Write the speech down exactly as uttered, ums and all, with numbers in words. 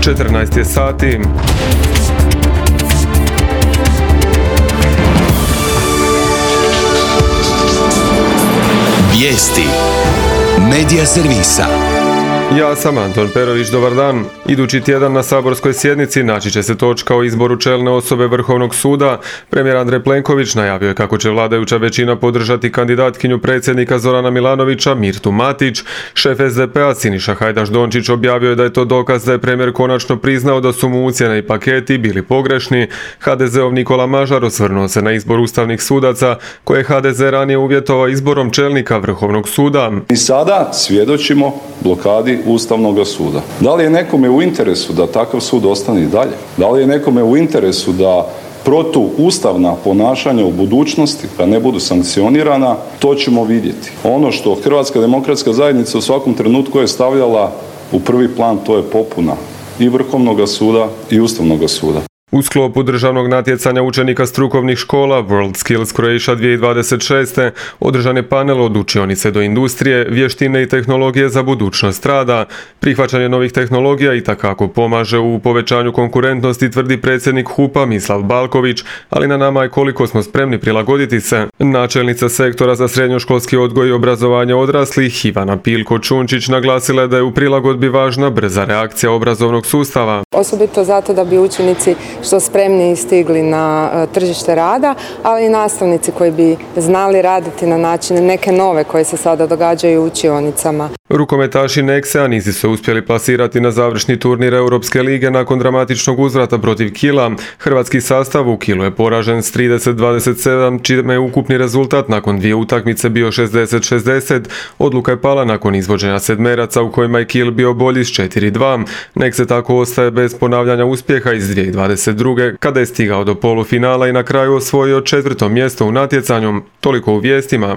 četrnaest je sati. Vijesti Medija servisa. Ja sam Anton Perović, dobar dan. Idući tjedan na saborskoj sjednici naći će se točka o izboru čelne osobe Vrhovnog suda. Premijer Andrej Plenković najavio je kako će vladajuća većina podržati kandidatkinju predsjednika Zorana Milanovića, Mirtu Matić. Šef es de pe a Siniša Hajdaš Dončić objavio je da je to dokaz da je premijer konačno priznao da su mu ucjene i paketi bili pogrešni. ha de zeov Nikola Mažar osvrnuo se na izbor ustavnih sudaca koje je ha de ze ranije uvjetovao izborom čelnika Vrhovnog suda. Mi sada svjedočimo blokadi Ustavnog suda. Da li je nekome u interesu da takav sud ostane i dalje? Da li je nekome u interesu da protuustavna ponašanja u budućnosti, da ne budu sankcionirana, to ćemo vidjeti. Ono što Hrvatska demokratska zajednica u svakom trenutku je stavljala u prvi plan, to je popuna i Vrhovnog suda i Ustavnog suda. U sklopu državnog natjecanja učenika strukovnih škola World Skills Croatia dvije tisuće dvadeset šeste održan je panel od učionice do industrije, vještine i tehnologije za budućnost rada. Prihvaćanje novih tehnologija itekako pomaže u povećanju konkurentnosti, tvrdi predsjednik hupa Mislav Balković, ali na nama je koliko smo spremni prilagoditi se. Načelnica sektora za srednjoškolski odgoj i obrazovanje odraslih Ivana Pilko-Čunčić naglasila je da je u prilagodbi važna brza reakcija obrazovnog sustava. Osobito zato da bi učenici što spremniji stigli na tržište rada, ali i nastavnici koji bi znali raditi na načine neke nove koje se sada događaju u učionicama. Rukometaši Nexe-a nisu se uspjeli plasirati na završni turnir Europske lige nakon dramatičnog uzvrata protiv Kila. Hrvatski sastav u Kilu je poražen s trideset dvadeset sedam, čime je ukupni rezultat nakon dvije utakmice bio šezdeset šezdeset. Odluka je pala nakon izvođenja sedmeraca u kojima je Kil bio bolji s četiri dva. Nexe tako ostaje bez ponavljanja uspjeha iz dvije tisuće dvadeset druge. kada je stigao do polufinala i na kraju osvojio četvrto mjesto u natjecanju. Toliko u vijestima.